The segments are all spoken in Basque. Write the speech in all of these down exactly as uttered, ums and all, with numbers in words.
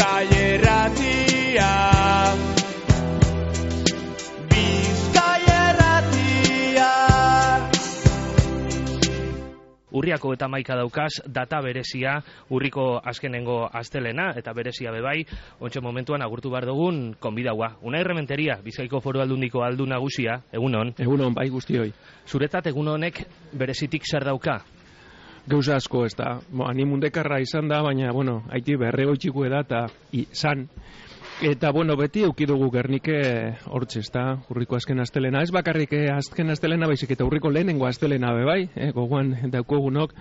Bizkai Erratia. Bizkai Erratia. Urriako eta maika daukaz, data berezia, urriko azkenengo astelena, eta berezia bebai, ontxe momentuan agurtu behar dugun konbidaua. Unai Rementeria, Bizkaiko Foru Aldundiko aldu nagusia, egunon. Egunon, bai guztioi. Zuretzat egun honek berezitik zer dauka? Gauza asko ez da. Bo, ani mundekarra izan da, baina, bueno, haiti berrego txiku eda eta izan. Eta, bueno, beti eukidugu Gernike hortxe, ez da, urriko azken astelena. Ez bakarrik eh, azken astelena, baizik eta urriko lehenengo astelena bebai, eh, gogoan daukogunok,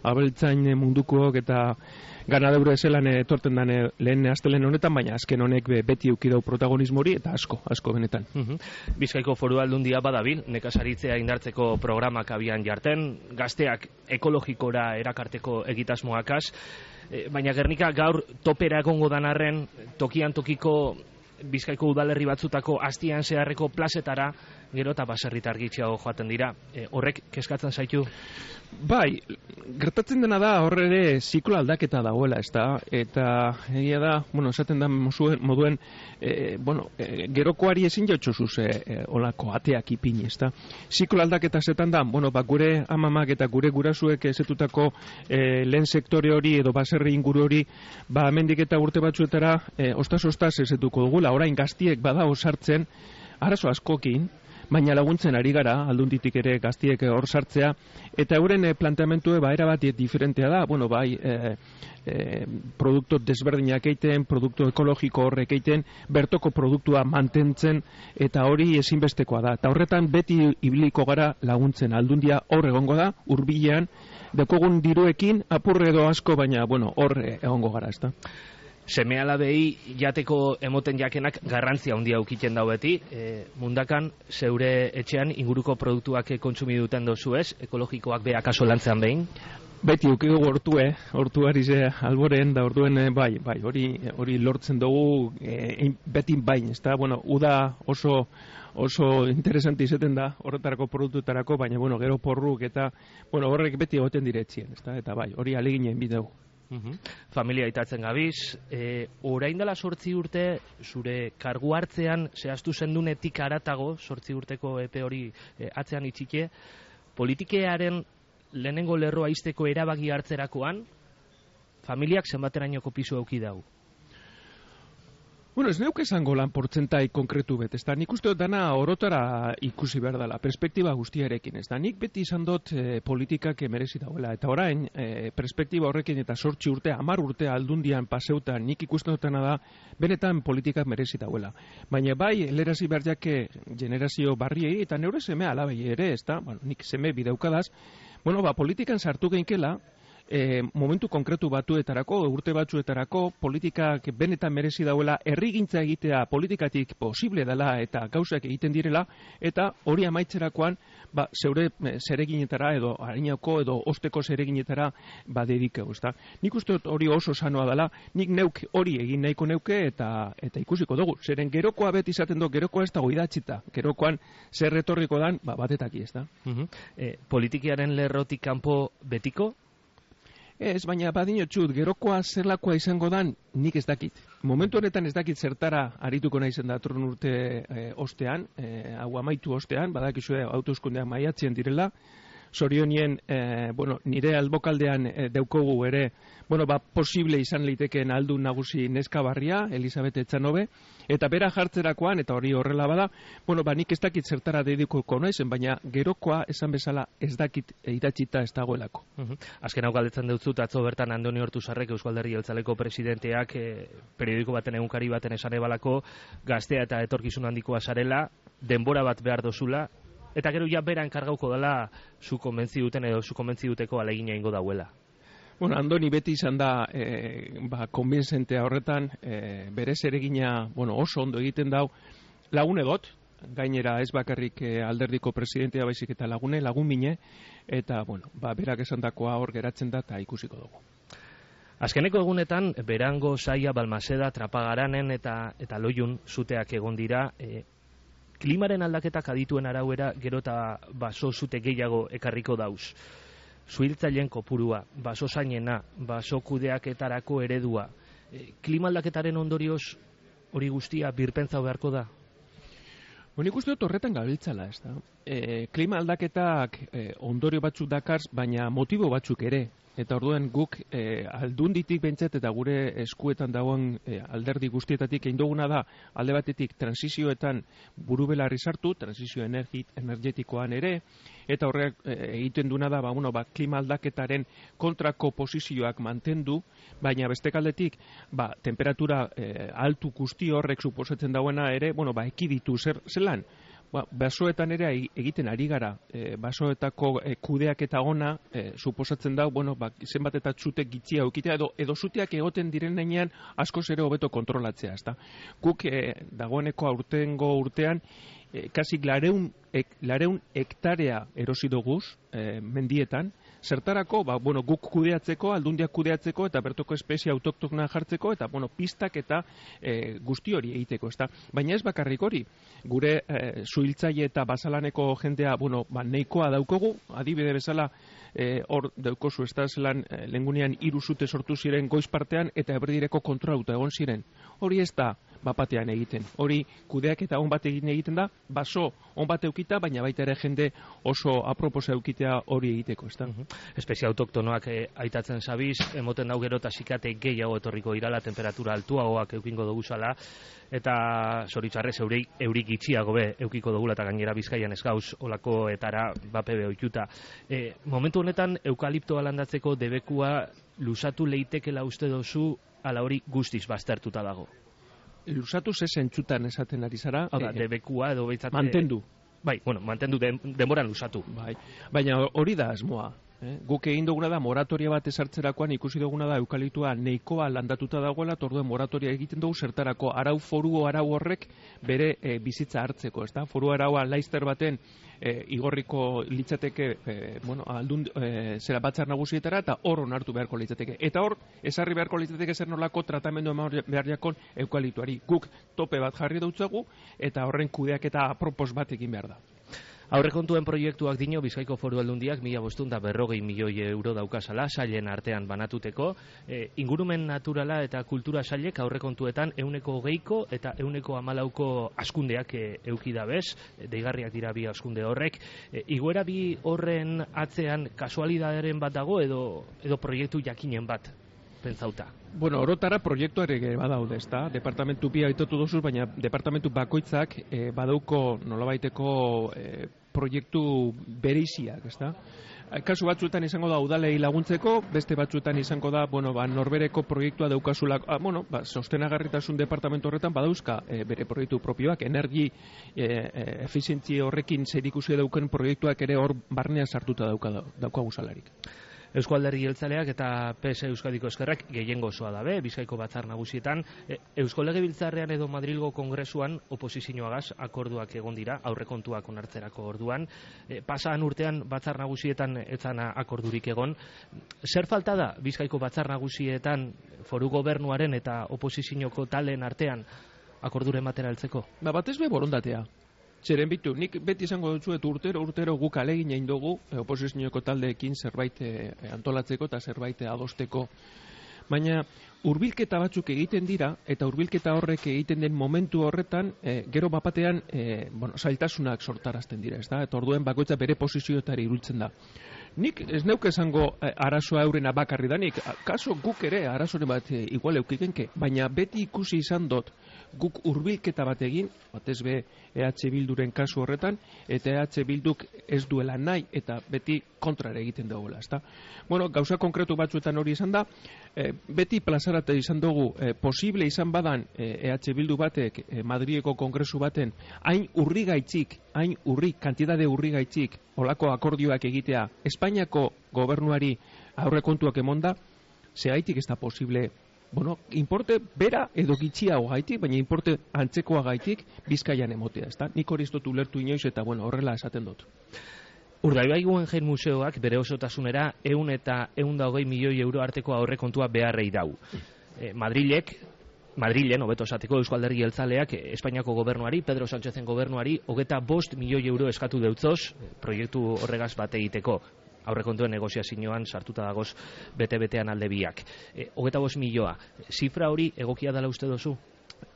abeltzain mundukook eta ganadeure ezelan etorten dane lehen astelen honetan, baina azken honek be, beti eukidau protagonismo hori eta asko, asko benetan. Uh-huh. Bizkaiko Foru Aldundia badabil, nekazaritzea indartzeko programak abian jarten, gazteak ekologikora erakarteko egitasmoakaz, e, baina Gernika gaur topera egongo danarren, tokian tokiko Bizkaiko udalerri batzutako astian zeharreko plazetara, gero eta baserritar gitxiago joaten dira. E, horrek kezkatzen zaitu? Bai, gertatzen dena da horre ere ziklo aldaketa dagoela, ez da? Eta egia da, bueno, esaten da moduen, e, bueno, e, gerokoari ezin jautxosuz e, e, olako ateak ipini, ez da? Ziklo aldaketa zetan da, bueno, ba, gure amamak eta gure gurasuek ezetutako e, lehen sektore hori edo baserri inguru hori, ba, hemendik eta urte batzuetara e, ostaz-ostaz ezetuko dugula, orain gaztiek bada osartzen, arazo askokin, baina laguntzen ari gara, aldunditik ere gaztiek hor sartzea, eta euren e, planteamentue ba, erabat diferentea da, bueno, bai, e, e, produktu desberdinak eiten, produktu ekologiko horrek eiten, bertoko produktua mantentzen, eta hori ezinbestekoa da. Eta horretan beti ibiliko gara laguntzen, aldundia hor egongo da, hurbilean, dekogun diruekin, apurre edo asko, baina, bueno, hor egongo gara, ez da. Seme alabei jateko emoten jakenak garrantzia handia aukiten dau beti. E, mundakan, zeure etxean inguruko produktuak kontsumi duten dozu ez? Ekologikoak beha kaso lantzean behin? Beti ukigu hortue, hortu ari ze alboren, da orduen bai, bai, hori hori lortzen dugu e, beti bain, ez da? Bueno, uda oso oso interesante izaten da horretarako produktutarako, baina, bueno, gero porruk eta, bueno, horrek beti egoten diretzien, ez da? Eta bai, hori aleginen bideu. Uhum. Familia itatzen gabiz, e, orain dela sortzi urte, zure kargu hartzean, zehaztu zendunetik aratago, sortzi urteko epe hori e, atzean itxike, politikearen lehenengo lerroa izteko erabaki hartzerakoan, familiak zenbaterainoko pisu auki dau? Bueno, ez neuk esango lan portzentai konkretu bet, ez da, nik uste dut dana orotara ikusi behar dela, perspektiba guztiarekin, ez da, nik beti izan dut e, politikak merezi dauela, eta orain, e, perspektiba horrekin eta sortzi urte, hamar urte aldundian paseutan, nik ikusten dutena da, benetan politikak merezi dauela. Baina bai, lerazi behar jake generazio barriei, eta neure seme alabei ere, ez da, bueno, nik seme bideukadaz, bueno, ba, politikan sartu geinkela, E, momentu konkretu batuetarako, urte batzuetarako, politikak benetan merezi dauela, herrigintza egitea politikatik posible dela eta gauzak egiten direla, eta hori amaitzerakoan, ba, zeure zereginetara edo harinako edo osteko zereginetara ba, dedikeu, ezta. Nik uste hori oso sanoa dela, nik neuk hori egin nahiko neuke eta eta ikusiko dugu. Zeren gerokoa beti izaten du, gerokoa ez dago idatzita, gerokoan zer retorriko dan, ba, batetaki, ezta. Uh-huh. e, Politikiaren lerrotik kanpo betiko? Ez, baina badinotxut, gerokoa zerlakoa izango dan, nik ez dakit. Momentu honetan ez dakit zertara arituko naizen datorren urte e, ostean, e, hau amaitu ostean, badakizue autoeskundeak maiatzen direla, zorionien, e, bueno, nire albokaldean e, deukogu ere, bueno, ba, posible izan litekeen aldun nagusi neska barria, Elisabete Etxanobe, eta bera jartzerakoan, eta hori horrela bada, bueno, ba, nik ez dakit zertara dedikuko naizen, baina gerokoa esan bezala ez dakit idatzita ez dagoelako. Uh-huh. Azken hau galdetzen dut atzo bertan Andoni Hortuzarrek Eusko Alderdi Jeltzaleko presidenteak e, periodiko baten egunkari baten esan ebalako gaztea eta etorkizun handikoa zarela, denbora bat behar dozula, eta gero ja bera enkargauko dela zu konbentzi duten edo zu konbentzi duteko alegina ingo dauela. Bueno, Andoni beti izan da e, ba, konbentzentea horretan, e, bere zeregina, bueno, oso ondo egiten dau, lagune dot, gainera ez bakarrik e, alderdiko presidentea baizik eta lagune, lagun mine, eta, bueno, ba, berak esandakoa hor geratzen da eta ikusiko dugu. Azkeneko egunetan, Berango, Saia, Balmaseda, Trapagaranen eta, eta Loiun zuteak egon dira, e, klimaren aldaketak adituen arauera gero eta baso zute gehiago ekarriko dauz. Zuhiltzaileen kopurua, baso zainena, baso kudeaketarako eredua, E, klima aldaketaren ondorioz hori guztia birpentsatu beharko da? Bueno, nik uste dut horretan gabiltzala, ez da. E, klima aldaketak e, ondorio batzuk dakars, baina motibo batzuk ere. Eta orduan guk e, aldunditik bentzet eta gure eskuetan dagoen e, alderdi guztietatik egin duguna da alde batetik transizioetan buru belarri sartu, transizio energi, energetikoan ere, eta horrek e, egiten duna da ba, bueno, ba, klima aldaketaren kontrako posizioak mantendu, baina beste aldetik ba, temperatura e, altu guzti horrek suposatzen dauena ere, bueno, ba, ekiditu zer, zelan. Ba, basoetan ere egiten ari gara, e, basoetako e, kudeak eta ona e, suposatzen da, bueno, ba, zenbat eta txutek gitzia eukitea, edo, edo zuteak egoten diren nenean askoz ere hobeto kontrolatzea, ezta. Guk e, dagoeneko aurtengo urtean, e, kasik lareun, ek, lareun hektarea erosi doguz e, mendietan, zertarako, ba, bueno, guk kudeatzeko, aldundiak kudeatzeko, eta bertoko espezie autoktona jartzeko, eta, bueno, pistak eta e, guzti hori egiteko, ezta. Baina ez bakarrik hori, gure e, zuhiltzaile eta basalaneko jendea, bueno, ba, neikoa daukogu, adibide bezala, e, hor daukozu, ez da, zelan, e, lengunean hiru zute sortu ziren goiz partean, eta eberdireko kontrolauta egon ziren. Hori ez da, bapatean egiten. Hori kudeak eta on bat egin egiten da, baso on bat eukita, baina baita ere jende oso aproposa eukitea hori egiteko, ez da. Uh-huh. Espezie autoktonoak eh, aitatzen zabiz, emoten dau gero eta sikate gehiago etorriko irala, temperatura altuagoak eukingo dugu zala, eta zoritzarrez eurik, eurik itxiago be eukiko dugula, eta gainera Bizkaian ez gauz olako etara bapebe oituta. E, momentu honetan eukaliptoa landatzeko debekua lusatu leitekela uste dozu, ala hori guztiz baztertuta dago. Lusatu ze zentzutan esaten ari zara. Hau da, debekua edo behitzat... Mantendu. Bai, bueno, mantendu den, denboran lusatu. Bai, baina hori da asmoa. Eh? Guk egin duguna da moratoria bat esartzerakoan ikusi duguna da eukalitua neikoa landatuta dagoela, torduen moratoria egiten dugu zertarako arau foru arau horrek bere e, bizitza hartzeko, ezta? Foru araua laizter baten e, igorriko litzateke e, bueno, aldun, e, zera batzar nagusietara eta hor onartu beharko litzateke. Eta hor, esarri beharko litzateke zer nolako tratamendu eman behar jakon eukalituari. Guk tope bat jarri dautzagu eta horren kudeak eta apropos bat egin behar da. Aurrekontuen proiektuak dino Bizkaiko Foru Aldundiak mila bostehun eta berrogei milioi euro daukazala sailen artean banatuteko. E, ingurumen naturala eta kultura sailek aurrekontuetan ehuneko hogeiko eta ehuneko hamalauko askundeak e, euki dabez, deigarriak dira bi askunde horrek. E, igoera bi horren atzean kasualidaderen bat dago edo, edo proiektu jakinen bat pentsauta? Bueno, orotara proiektuarek badaude, ezta? Departamentu bi aitotu dozuz, baina departamentu bakoitzak e, badauko nolabaiteko e, proiektu bereiziak, ezta? Kasu batzuetan izango da udalei laguntzeko, beste batzuetan izango da, bueno, ba, norbereko proiektua daukazulako, ah, bueno, ba, sostenagarritasun departamentu horretan badauzka e, bere proiektu propioak, energi e, e, efizientzia horrekin zerikusia dauken proiektuak ere hor barnean sartuta dauka daukagu salarik. Eusko Alderdi Jeltzaleak eta P S Euskadiko Ezkerrak gehiengo osoa dabe, Bizkaiko batzar nagusietan. E, Eusko Legebiltzarrean edo Madrilgo Kongresuan oposizioagaz akorduak egon dira, aurrekontuak onartzerako orduan. E, pasaan urtean batzar nagusietan etzana akordurik egon. Zer falta da Bizkaiko batzar nagusietan foru gobernuaren eta oposizioko talen artean akorduren batera heltzeko? Ba, batez be borondatea. Zeren bitu, nik beti izango dutzuet urtero, urtero guk alegin egin dugu e, oposizioko taldeekin zerbait e, antolatzeko eta zerbait adosteko. Baina hurbilketa batzuk egiten dira, eta hurbilketa horrek egiten den momentu horretan, e, gero bapatean e, bueno, zailtasunak sortarazten dira, ez da? Eta orduen bakoitza bere posizioetara iruditzen da. Nik ez neuke esango e, arazoa eurena bakarri danik, kaso guk ere arazoren bat e, igual eukikenke, baina beti ikusi izan dut guk hurbilketa bat egin, batez be E H Bilduren kasu horretan, eta E H Bilduk ez duela nahi, eta beti kontrare egiten dagoela, ezta? Bueno, gauza konkretu batzuetan hori izan da, e, beti plazarate izan dugu, e, posible izan badan E H Bildu batek e, Madrileko kongresu baten hain urri gaitzik, hain urri, kantidade urri gaitzik, olako akordioak egitea, Espainiako gobernuari aurrekontuak emonda, zehaitik ez da posible. Bueno, importe bera edo gitxiago gaitik, baina importe antzekoa gaitik Bizkaian emotea, ezta? Nik hori ez dut ulertu inoiz eta, bueno, horrela esaten dut. Urdaibai Guggenheim Museoak bere osotasunera ehun eta ehun eta hogei milioi euro arteko aurrekontua beharrei dau. E, Madrilek, Madrilen, hobeto esateko Eusko Alderdi Jeltzaleak, Espainiako gobernuari, Pedro Sánchezen gobernuari, hogeta bost milioi euro eskatu deutzoz, proiektu horregaz bat egiteko. aurrekontuen negoziazioan sartuta dagoz bete-betean alde biak. E, Hogeta bost milioa, zifra hori egokia dela uste dozu?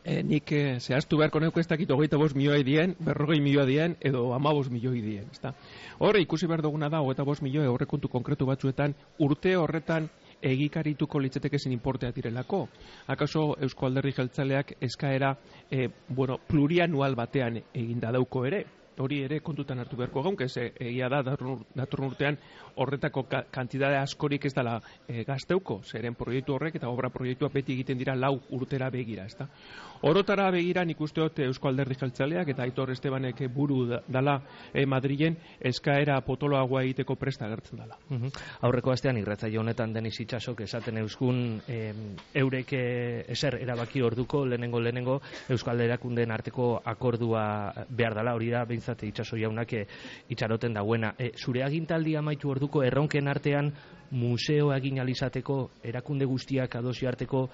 E, nik e, zehaztu beharko neuko ez dakit hogeita bost milioi dien, berrogei milioi dien, edo hamabost milioi dien. Ezta? Horre ikusi behar duguna da, hogeita bost milioi aurrekontu konkretu batzuetan, urte horretan egikarituko litzateke zen importea direlako. Akaso Eusko Alderdi Jeltzaleak eskaera e, bueno, plurianual batean eginda dauko ere. Hori ere kontutan hartu beharko gaun, ze egia da datorren urtean horretako ka, kantidade askorik ez dela e, gazteuko, zeren proiektu horrek eta obra proiektua beti egiten dira lau urtera begira, ezta. Orotara begira nik uste dut Eusko Alderdi Jeltzaleak eta Aitor Estebanek buru dala e, Madrilen eskaera potoloagoa egiteko presta agertzen dela. Uh -huh. Aurreko astean irratsaio honetan Denis Itsasok esaten euskun e, eurek e, ezer erabaki orduko lehenengo lehenengo Euskal Erakundeen arteko akordua behar dela, hori da behintzat Itsaso jaunak e, itxaroten dagoena. E, zure agintaldi amaitu orduko erronken artean museoa egin alizateko erakunde guztiak adosi arteko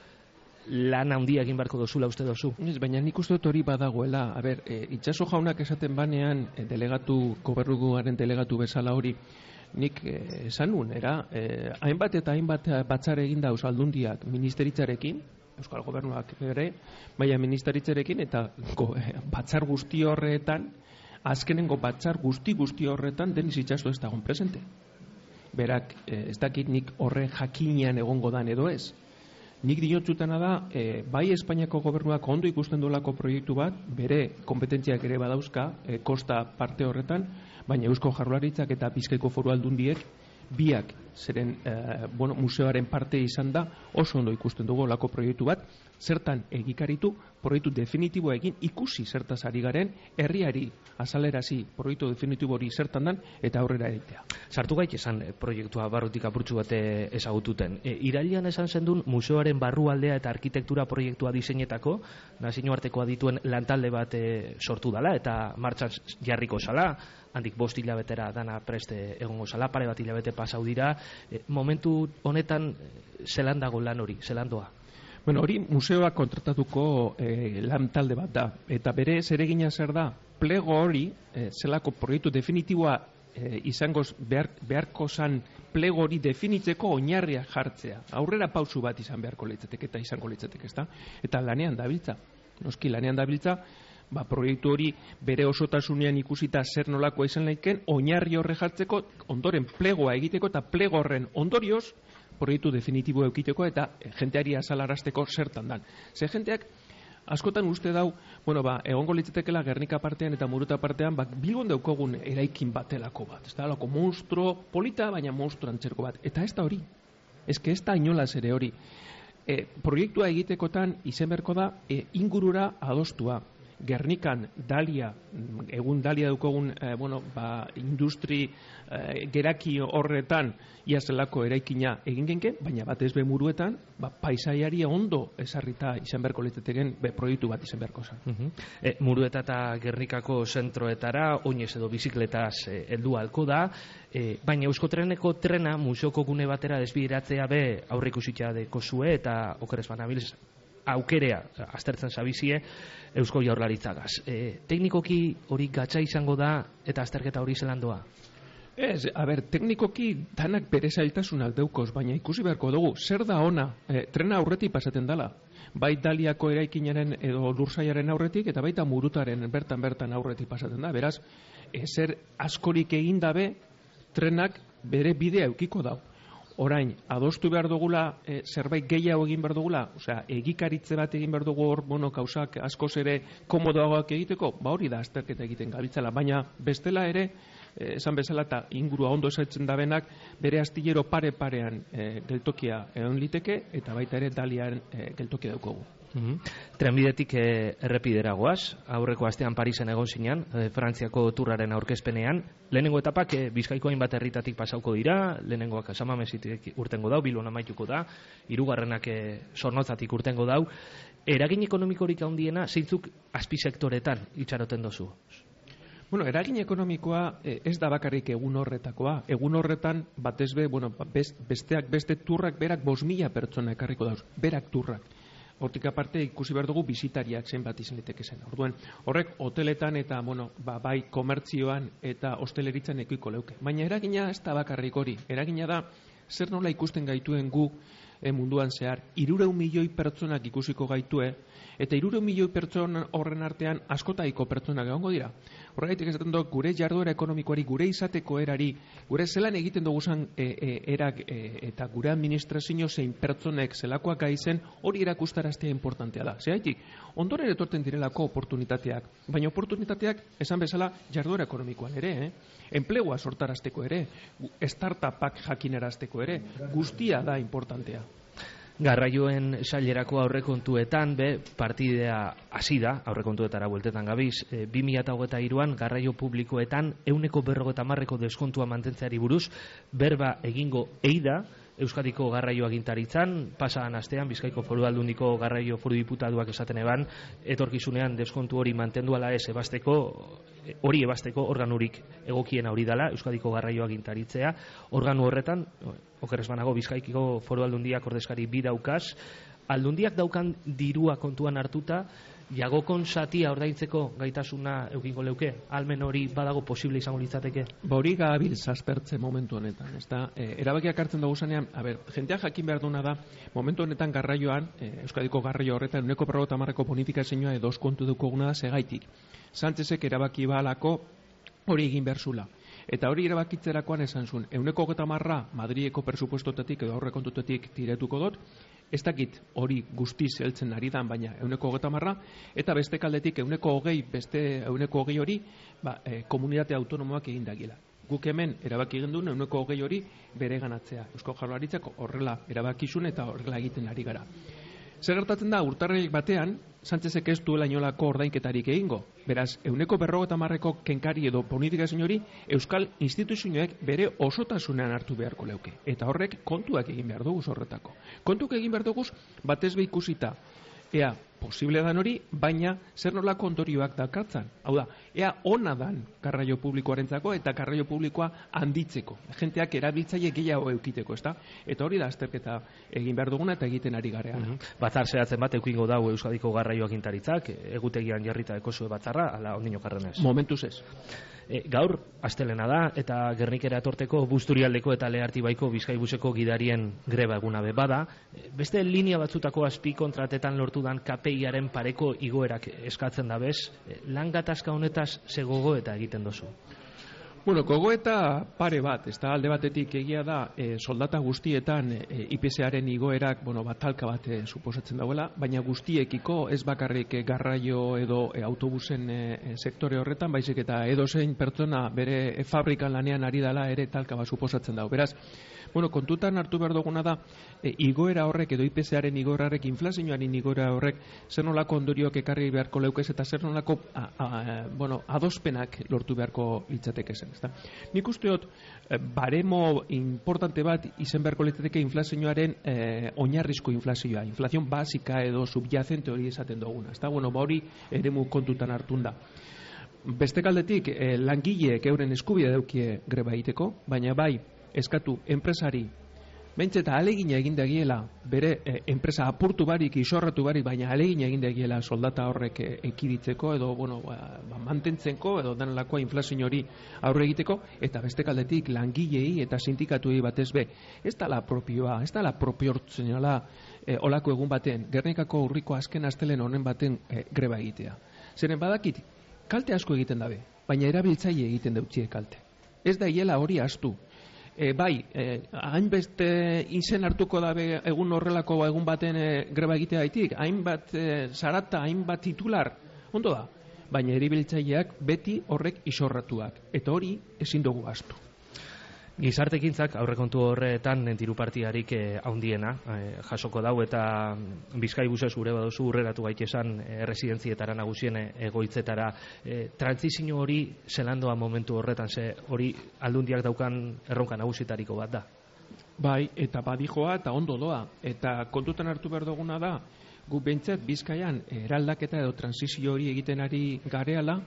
lan handia egin barko dozula uste dozu? Ez, baina nik uste dut hori badagoela. A ber, e, Itsaso jaunak esaten banean e, delegatu, gobernuaren delegatu bezala hori, nik e, esan nun, era, e, hainbat eta hainbat batzar egin dauz aldundiak ministeritzarekin, Euskal Gobernuak ere, baina ministeritzarekin eta go, e, batzar guzti horretan, azkenengo batzar guzti guzti horretan Denis Itsaso ez dagoen presente. Berak, e, ez dakit nik horre jakinean egongo dan edo ez. Nik diotzutana da, e, bai Espainiako gobernuak ondo ikusten duelako proiektu bat, bere kompetentziak ere badauzka, e, kosta parte horretan, baina Eusko Jaurlaritzak eta Bizkaiko Foru Aldundiek biak zeren e, bueno, museoaren parte izan da, oso ondo ikusten dugu lako proiektu bat, zertan egikaritu, proiektu definitiboa egin ikusi zertaz ari garen, herriari azalerazi proiektu definitibo hori zertan dan, eta aurrera egitea. Sartu gaik esan proiektua barrutik apurtxu bate ezagututen. E, irailean esan zendun museoaren barrualdea eta arkitektura proiektua diseinetako, nazioartekoa dituen lantalde bat e, sortu dala, eta martxan jarriko zala, handik bost hilabetera dana preste egongo zala, pare bat hilabete pasau dira, e, momentu honetan zelan dago lan hori, zelan doa? Bueno, hori museoak kontratatuko e, lan talde bat da, eta bere zeregina zer da, plego hori, e, zelako proiektu definitiboa e, izango behar, beharko zan plego hori definitzeko oinarria jartzea. Aurrera pausu bat izan beharko litzateke eta izango litzateke, ezta? Eta lanean dabiltza, noski lanean dabiltza, ba, proiektu hori bere osotasunean ikusita zer nolakoa izan laiken, oinarri horre jartzeko, ondoren plegoa egiteko eta plego horren ondorioz, proiektu definitibo eukiteko eta jenteari azalarazteko zertan dan. Ze jenteak askotan uste dau, bueno, ba, egongo litzatekela Gernika partean eta Muruta partean, ba, Bilbon daukogun eraikin batelako bat. Ez da, lako monstro polita, baina monstro antzerko bat. Eta ez da hori. Ez que ez da inolaz ere hori. E, proiektua egitekotan izen berko da e, ingurura adostua. Gernikan dalia, egun dalia daukogun eh, bueno, ba, industri eh, geraki horretan ia zelako eraikina egin genke, baina batez be Muruetan, ba, paisaiari ondo esarrita izan beharko litzateken be proiektu bat izan beharko zen. Uh-huh. e, Murueta eta Gernikako zentroetara oinez edo bizikletaz eh, heldu halko da, eh, baina Euskotreneko trena museoko gune batera desbideratzea be aurreikusita deko zue eta okeres banabilz aukerea aztertzen zabizie Eusko Jaurlaritzagaz. E, teknikoki hori gatza izango da eta azterketa hori zelan doa? Ez, a ber, teknikoki danak bere zailtasunak deukoz, baina ikusi beharko dugu, zer da ona, e, trena aurretik pasaten dala. Bai Daliako eraikinaren edo lursaiaren aurretik eta baita Murutaren bertan-bertan aurretik pasaten da. Beraz, ezer askorik egin dabe, trenak bere bidea eukiko dau. Orain, adostu behar dugula, e, zerbait gehiago egin behar dugula, osea, egikaritze bat egin behar dugu hor, bueno, kausak askoz ere komodoagoak egiteko, ba hori da azterketa egiten gabiltzala, baina bestela ere, e, esan bezala eta ingurua ondo esatzen dabenak, bere astillero pare-parean e, geltokia egon liteke, eta baita ere Dalian e, geltokia daukogu. Mm-hmm. Trenbidetik eh, errepidera goaz, aurreko astean Parisen egon zinean, eh, Frantziako turraren aurkezpenean, lehenengo etapak eh, Bizkaiko hainbat herritatik pasauko dira, lehenengoak Samamesitik urtengo dau, Bilbon amaituko da, hirugarrenak eh, Zornotzatik urtengo dau. Eragin ekonomikorik handiena zeintzuk azpisektoretan itxaroten dozu? Bueno, eragin ekonomikoa eh, ez da bakarrik egun horretakoa. Egun horretan, batez be, bueno, best, besteak beste turrak berak bost mila pertsona ekarriko dauz, berak turrak. Hortik aparte ikusi behar dugu bisitariak zenbat izan liteke zen. Orduan, horrek hoteletan eta bueno, ba, bai komertzioan eta hosteleritzan ekoiko leuke. Baina eragina ez da bakarrik hori. Eragina da zer nola ikusten gaituen gu e, munduan zehar. Hirurehun milioi pertsonak ikusiko gaitue eta hirurehun milioi pertsona horren artean askotaiko pertsonak egongo dira. Horregatik esaten dut gure jarduera ekonomikoari, gure izateko erari, gure zelan egiten dugu zan e, e, erak e, eta gure administrazio zein pertsonek zelakoak gaizen hori erakustaraztea importantea da. Zergatik, ondoren etorten direlako oportunitateak, baina oportunitateak esan bezala jarduera ekonomikoan ere, eh? Enplegua sortarazteko ere, startupak jakinarazteko ere, guztia da importantea. Garraioen sailerako aurrekontuetan be partidea hasi da, aurrekontuetara bueltetan gabiz, e, bi mila hogeita hiruan garraio publikoetan ehuneko berrogeita hamarreko deskontua mantentzeari buruz berba egingo ei da Euskadiko garraio agintaritzan, pasadan astean Bizkaiko Foru Aldundiko garraio foru diputatuak esaten eban, etorkizunean deskontu hori mantendu ala ez ebasteko, hori ebasteko organurik egokiena hori dela Euskadiko garraio agintaritzea. Organu horretan, okerrez banago Bizkaiko Foru Aldundiak ordezkari bi daukaz, aldundiak daukan dirua kontuan hartuta, jagokon satia ordaintzeko gaitasuna eukingo leuke, almen hori badago posible izango litzateke? Ba hori gabil zazpertze momentu honetan, ezta? E, erabakiak hartzen dugu zanean, a ber, jentea jakin behar duna da, momentu honetan garraioan, e, Euskadiko garraio horretan, uneko berrogeita hamarreko bonifikazioa edo oskontu dukuguna da segaitik. Sánchezek erabaki balako hori egin behar zula. Eta hori erabakitzerakoan esan zuen, euneko hogeita hamarra Madrileko presupuestotatik edo aurrekontutetik tiretuko dut, ez dakit hori guztiz heltzen ari dan, baina euneko hogeita hamarra, eta beste kaldetik euneko hogei, beste euneko hogei hori, ba, e, komunitate autonomoak egin dagiela. Guk hemen erabaki egin duen euneko hogei hori bere ganatzea. Eusko Jaurlaritzak horrela erabakizun eta horrela egiten ari gara. Zer gertatzen da, urtarrik batean, Sánchezek ez duela inolako ordainketarik egingo. Beraz, euneko berrogeita hamarreko kenkari edo bonifikazio hori Euskal instituzioek bere osotasunean hartu beharko leuke. Eta horrek kontuak egin behar dugu horretako. Kontuak egin behar dugu batez be ikusita. Ea, posible dan hori, baina zer nolako ondorioak dakartzan. Hau da, ea ona dan garraio publikoarentzako eta garraio publikoa handitzeko. Jenteak erabiltzaile gehiago eukiteko, ezta? Eta hori da azterketa egin behar duguna eta egiten ari garean. Mm -hmm. Batzar zehatzen bat eukingo dau Euskadiko garraio agintaritzak, egutegian jarrita ekosue batzarra, ala ondino karrenez. Momentuz ez. E, gaur, astelena da, eta Gernikera etorteko Busturialdeko eta Lehartibaiko Bizkaibuseko gidarien greba eguna be bada. E, beste linea batzutako azpi kontratetan lortu dan K P I-aren pareko igoerak eskatzen da bez. E, lan gatazka honetaz ze gogoeta egiten dozu? Bueno, gogoeta pare bat, ez da alde batetik egia da e, soldata guztietan e, I P Z-aren igoerak, bueno, batalka bat e, suposatzen dauela, baina guztiekiko ez bakarrik e, garraio edo e, autobusen e, sektore horretan, baizik eta edozein pertsona bere e, fabrikan lanean ari dela ere talka bat suposatzen dau. Beraz, bueno, kontutan hartu behar duguna da, e, igoera horrek edo I P Z-aren igoera horrek, inflazioaren igoera horrek, zer nolako ondorioak ekarri beharko leukez eta zer nolako a, a, bueno, adospenak lortu beharko litzateke zen. Ezta? Nik uste dut, eh, baremo importante bat izen beharko litzateke inflazioaren eh, oinarrizko inflazioa, inflazion basika edo subyacente hori esaten duguna. Ezta? Bueno, ba hori eremu kontutan hartun da. Beste kaldetik, eh, langileek euren eskubidea daukie greba egiteko, baina bai, eskatu enpresari Bentseta alegina egin dagiela, bere e, enpresa apurtu barik, isorratu barik, baina alegina egin dagiela soldata horrek e, ekiditzeko, edo, bueno, ba, ba, mantentzenko, edo danelakoa inflazio hori aurre egiteko, eta beste kaldetik langilei eta sindikatuei batez be. Ez da la propioa, ez da la proportzionala e, olako egun baten, Gernikako urriko azken astelen honen baten e, greba egitea. Zeren badakit, kalte asko egiten dabe, baina erabiltzaile egiten deutzie kalte. Ez da hiela hori astu. E, bai, e, hainbeste izen hartuko dabe egun horrelako egun baten e, greba egitea haitik, hainbat e, zarata, hainbat titular, ondo da, baina erabiltzaileak beti horrek isorratuak, eta hori ezin dugu astu. Gizartekintzak aurrekontu horretan dirupartiarik eh, haundiena eh, jasoko dau eta Bizkaibusez gure baduzu urreratu gaitesan eh, residentzietara nagusien eh, egoitzetara eh, trantzizio hori zelandoa momentu horretan, ze hori aldundiak daukan erronka nagusitariko bat da. Bai, eta badijoa eta ondo doa, eta kontutan hartu behar duguna da, gu bentsat Bizkaian eraldaketa edo trantzizio hori egiten ari gareala,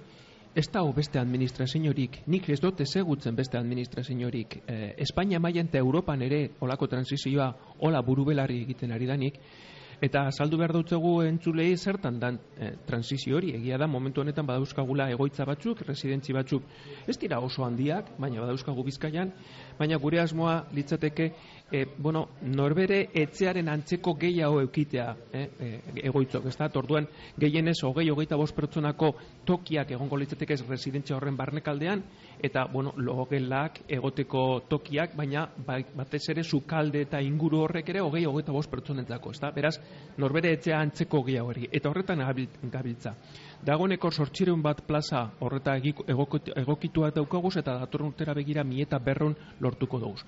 ez da beste administraziorik, nik ez dut ezagutzen beste administraziorik. Eh, Espainia mailan eta Europan ere olako transizioa, ola burubelarri egiten ari danik, Eta azaldu behar dutzegu entzulei zertan dan e, transizio hori, egia da momentu honetan badauzkagula egoitza batzuk, residentzi batzuk, ez dira oso handiak, baina badauzkagu Bizkaian, baina gure asmoa litzateke e, bueno, norbere etxearen antzeko gehiago eukitea e, e, egoitzok, ez da, orduan gehienez hogei hogeita bost pertsonako tokiak egongo litzateke ez residentzia horren barnekaldean, eta bueno, logelak egoteko tokiak, baina batez ere sukalde eta inguru horrek ere hogei hogeita bost pertsonentzako, ez da, beraz, norbere etxea antzeko gehiago hori, eta horretan gabiltza. Dagoeneko zortziehun bat plaza horreta egokituak daukaguz eta datorren urtera begira mi eta berrehun lortuko dugu.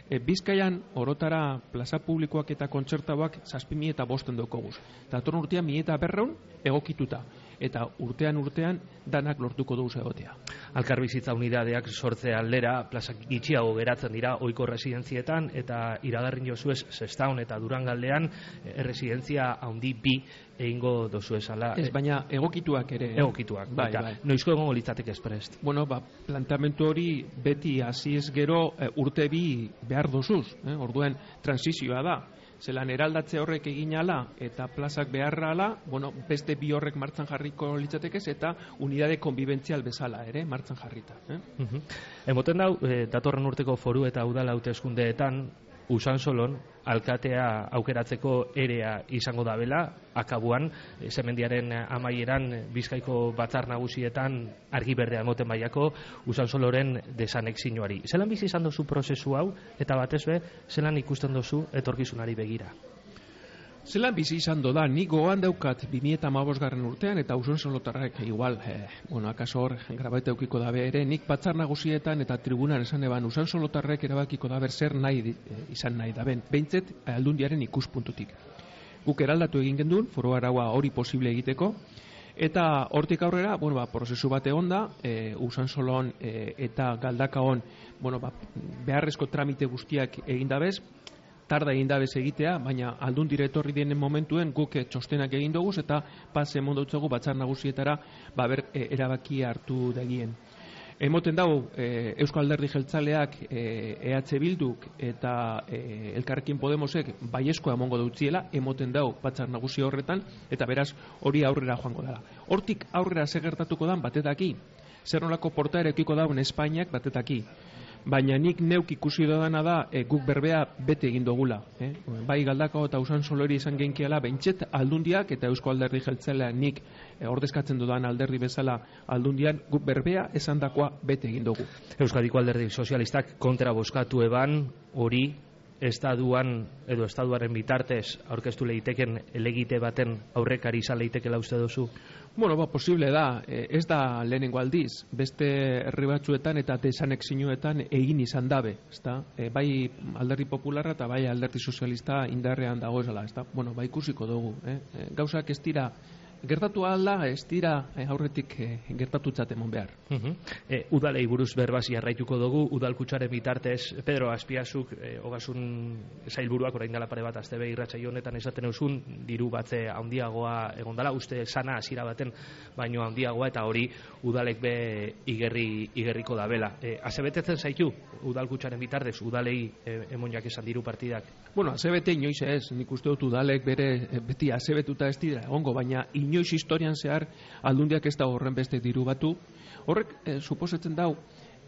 E, Bizkaian orotara plaza publikoak eta kontzertauak zazpi mi eta bosten daukaguz. Datorren urtean mi eta berrehun egokituta. Eta urtean urtean danak lortuko dugu egotea. Elkarbizitza unidadeak sortze aldera plazak gitxiago geratzen dira ohiko residentzietan eta iragarri jozuez Sestaon eta Durangaldean erresidentzia handi bi egingo dozu esala. Ez, baina egokituak ere. Egokituak, bai, bai. Noizko egongo litzateke esprest? Bueno, ba, plantamentu hori beti hasi ez gero e, urte bi behar dozuz. Eh? Orduen transizioa da. Zelan eraldatze horrek egin ala eta plazak beharra ala, bueno, beste bi horrek martxan jarriko litzatekez eta unidade konbibentzial bezala ere martxan jarrita. Eh? Uh-huh. Emoten dau, eh, datorren urteko foru eta udal hauteskundeetan Usansolon alkatea aukeratzeko erea izango da bela, akabuan, e, zemendiaren amaieran Bizkaiko batzar nagusietan argi berdea emoten baiako Usansoloren desanexioari. Zelan bizi izan dozu prozesu hau, eta batez be, zelan ikusten dozu etorkizunari begira? Zelan bizi izan da, nik gogoan daukat bi mila hamabost garren urtean, eta Usansolotarrek igual, eh, bueno, akaso hor grabaita eukiko dabe ere, nik batzar nagusietan eta tribunan esan eban Usansolotarrek erabakiko daber zer nahi eh, izan nahi daben, behintzet aldundiaren ikuspuntutik. Guk eraldatu egin gendun, foru araua hori posible egiteko, eta hortik aurrera, bueno, ba, prozesu bat egon da, e, Usansolon e, eta Galdakaon, bueno, ba, beharrezko tramite guztiak egin dabez, tarda egin dabez egitea, baina aldun etorri denen momentuen guk txostenak egin dugu eta pas emon dutzugu batzar nagusietara ba ber e, erabaki hartu dagien. Emoten dago e, Eusko Alderdi Jeltzaleak e, E H Bilduk eta e, Elkarrekin Podemosek baiezkoa emongo dutziela, emoten dago batzar nagusi horretan, eta beraz hori aurrera joango dela. Hortik aurrera zer gertatuko dan batetaki, zer nolako portaera edukiko dauen Espainiak batetaki. Baina nik neuk ikusi dodana da e, guk berbea bete egin dugula. Eh? Bai Galdakao eta Usansolo hori izan genkiela beintxet aldundiak eta Eusko Alderdi Jeltzalea nik e, ordezkatzen dudan alderdi bezala aldundian guk berbea esandakoa bete egin dugu. Euskadiko Alderdi Sozialistak kontra bozkatu eban hori estatuan edo estatuaren bitartez aurkeztu leiteken elegite baten aurrekari izan leitekela uste duzu? Bueno, ba, posible da, e, ez da lehenengo aldiz, beste herri batzuetan eta desanexioetan egin izan dabe, ezta? E, bai Alderdi Popularra eta bai Alderdi Sozialista indarrean dago ezala, ezta? Bueno, ba ikusiko dugu, eh? E, gauzak ez dira gertatu alda, ez dira eh, aurretik eh, gertatutzat emon behar. Uh-huh. e, udalei buruz berbaz jarraituko dugu, udalkutsaren bitartez, Pedro Azpiazuk, e, ogasun sailburuak orain dela pare bat azte behi irratsaio honetan esaten eusun, diru batze handiagoa egondala, uste sana hasiera baten baino handiagoa, eta hori udalek be igerri, igerriko da bela. E, azebetetzen zaitu, udalkutsaren bitartez, udalei e, emoniak esan diru partidak? Bueno, azebete inoiz ez, nik uste dut udalek bere e, beti azebetuta ez dira, ongo, baina inoiz historian zehar aldundiak ez da horren beste diru batu. Horrek e, suposatzen dau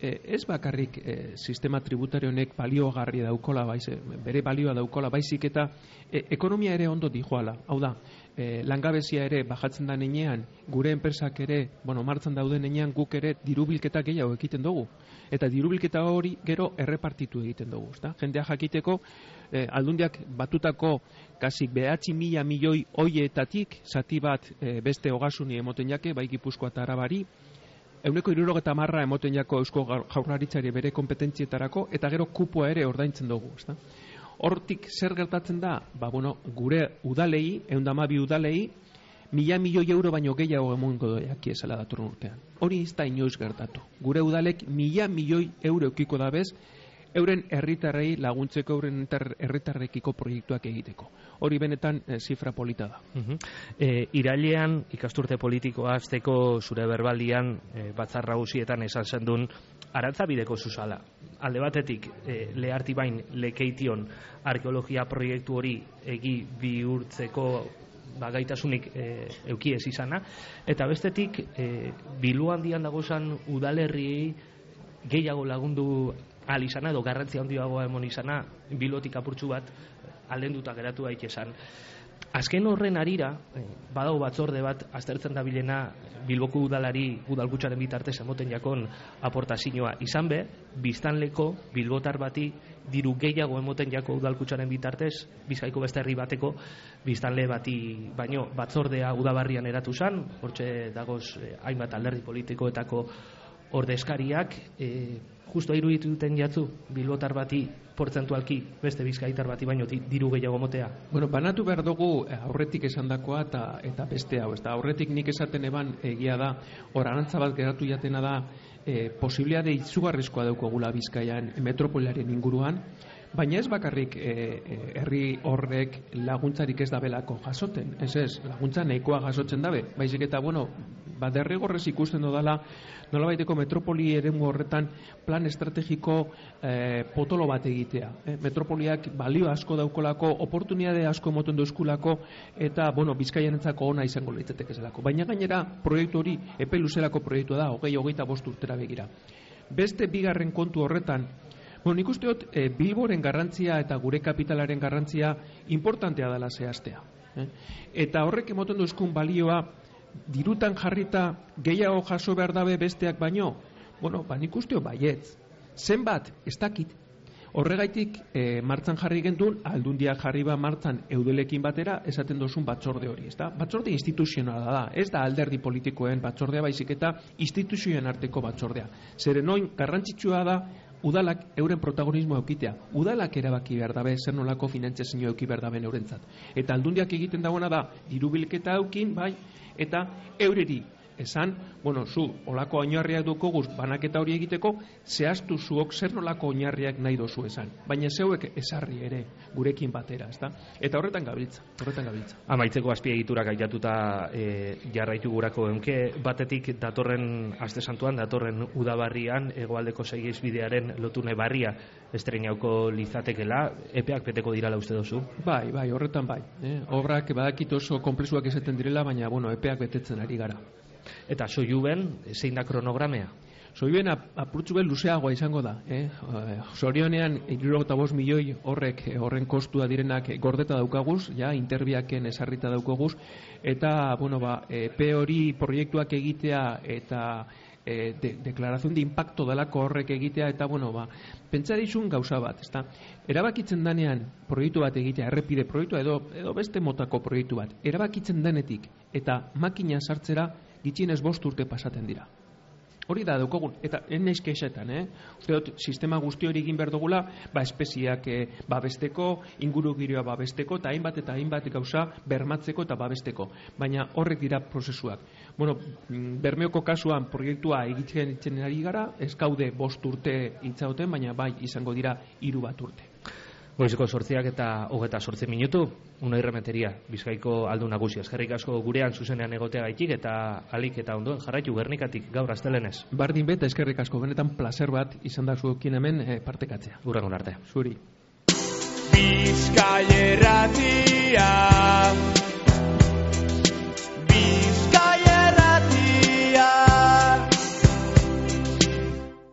e, ez bakarrik e, sistema tributario honek balioagarri daukola, baiz, bere balioa daukola, baizik eta e, ekonomia ere ondo dijoala. Hau da, e, langabezia ere bajatzen da nenean, gure enpresak ere, bueno, martzan dauden nenean guk ere dirubilketa gehiago egiten dugu. Eta dirubilketa hori gero errepartitu egiten dugu, ezta? Jendea jakiteko eh, aldundiak batutako kasik behatzi mila milioi hoietatik zati bat eh, beste ogasuni emoten jake, bai Gipuzkoa eta Arabari, ehuneko hirurogeta marra emoten jako Eusko Jaurlaritzari bere kompetentzietarako, eta gero kupoa ere ordaintzen dugu, ezta? Hortik zer gertatzen da? Ba, bueno, gure udalei, ehun eta hamabi udalei, mila milioi euro baino gehiago emongo doiak ezala datorren urtean. Hori ez da inoiz gertatu. Gure udalek mila milioi euro eukiko dabez euren herritarrei laguntzeko, euren herritarrekiko proiektuak egiteko. Hori benetan e, zifra polita da. Uh-huh. e, irailean ikasturte politikoa hasteko zure berbaldian e, batzar nagusietan esan zendun Arantzabideko zuzala. Alde batetik e, Lehartibain lekeition arkeologia proiektu hori egi bihurtzeko ba, gaitasunik e, euki ez izana, eta bestetik e, Bilbo handian dagozan udalerriei gehiago lagundu ahal izana edo garrantzia handiagoa emon izana Bilbotik apurtxu bat aldenduta geratu daitezen. Azken horren arira, badago batzorde bat aztertzen dabilena Bilboko udalari udalkutxaren bitartez emoten jakon aportazioa izan be, biztanleko bilbotar bati diru gehiago emoten jako udalkutxaren bitartez, Bizkaiko beste herri bateko biztanle bati baino batzordea udabarrian eratu zan, hortxe dagoz eh, hainbat alderdi politikoetako ordezkariak, eh, justo iruditu duten jatzu bilbotar bati portzentualki beste bizkaitar bati baino diru gehiago motea. Bueno, banatu behar dugu aurretik esandakoa eta eta beste hau, ezta aurretik nik esaten eban egia da, hor arantza bat geratu jatena da, e, posibilitate izugarrizkoa daukagula Bizkaian metropoliaren inguruan, baina ez bakarrik e, herri horrek laguntzarik ez dabelako jasoten, ez ez, laguntza nahikoa jasotzen dabe, baizik eta, bueno, ba, derrigorrez ikusten dodala, nolabaiteko metropoli eremu horretan plan estrategiko eh, potolo bat egitea. Eh? Metropoliak balio asko daukolako, oportunitate asko emoten duzkulako, eta, bueno, Bizkaiarentzako ona izango litzateke zelako. Baina gainera, proiektu hori, epe luzelako proiektua da, hogei, hogeita bost urtera begira. Beste bigarren kontu horretan, bueno, nik uste dut, e, Bilboren garrantzia eta gure kapitalaren garrantzia importantea dela zehaztea. Eh? Eta horrek emoten duzkun balioa, dirutan jarrita gehiago jaso behar dabe besteak baino, bueno, ba nik usteo baietz. Zenbat, ez dakit. Horregaitik e, martzan jarri gendun, aldundia jarri ba martzan eudelekin batera, esaten dozun batzorde hori, ez da? Batzorde instituzionala da, ez da alderdi politikoen batzordea baizik eta instituzioen arteko batzordea. Zeren oin, garrantzitsua da, udalak euren protagonismo eukitea. Udalak erabaki behar dabe, zer nolako finantzazio euki behar dabe eurentzat. Eta aldundiak egiten dagoena da, diru bilketa eukin, bai, eta eureri esan, bueno, zu, olako oinarriak dukoguz banaketa hori egiteko, zehaztu zuok zer nolako oinarriak nahi dozu esan. Baina zeuek esarri ere gurekin batera, ezta? Eta horretan gabiltza, horretan gabiltza. Amaitzeko azpiegiturak aitatuta e, jarraitu gurako eunke, batetik datorren aste santuan, datorren udabarrian, hegoaldeko segisbidearen lotune barria estrenauko lizatekela, epeak beteko dirala uste dozu? Bai, bai, horretan bai. Eh? Obrak badakit oso konplexuak esaten direla, baina, bueno, epeak betetzen ari gara. Eta soiuben, zein da kronogramea? Soiuben apurtzu ben luzeagoa izango da. Eh? Zorionean, hirurogeita bost milioi horrek horren kostua direnak gordeta daukaguz, ja, interbiaken esarrita daukaguz, eta, bueno, ba, epe hori proiektuak egitea eta e, de, deklarazion de impacto delako horrek egitea, eta, bueno, ba, pentsa dizun gauza bat, ezta? Erabakitzen danean proiektu bat egitea, errepide proiektua edo, edo beste motako proiektu bat, erabakitzen denetik eta makina sartzera gitxienez bost urte pasaten dira. Hori da daukagun, eta enaiz kexetan, eh? Uste dut, sistema guzti hori egin behar dugula, ba, espeziak eh, babesteko, inguru giroa babesteko, eta hainbat eta hainbat gauza bermatzeko eta babesteko. Baina horrek dira prozesuak. Bueno, Bermeoko kasuan proiektua egiten itzen ari gara, ez gaude bost urte itzauten, baina bai izango dira hiru bat urte. Goizeko sortziak eta hogeta sortzi minutu, Unai Rementeria, Bizkaiko aldun nagusia. Eskerrik asko gurean zuzenean egotea gaitik eta alik eta ondoen jarraitu Gernikatik gaur astelenez. Bardin beta eskerrik asko, benetan placer bat izan da zuekin hemen eh, partekatzea. Urrengon arte. Zuri. Bizkaia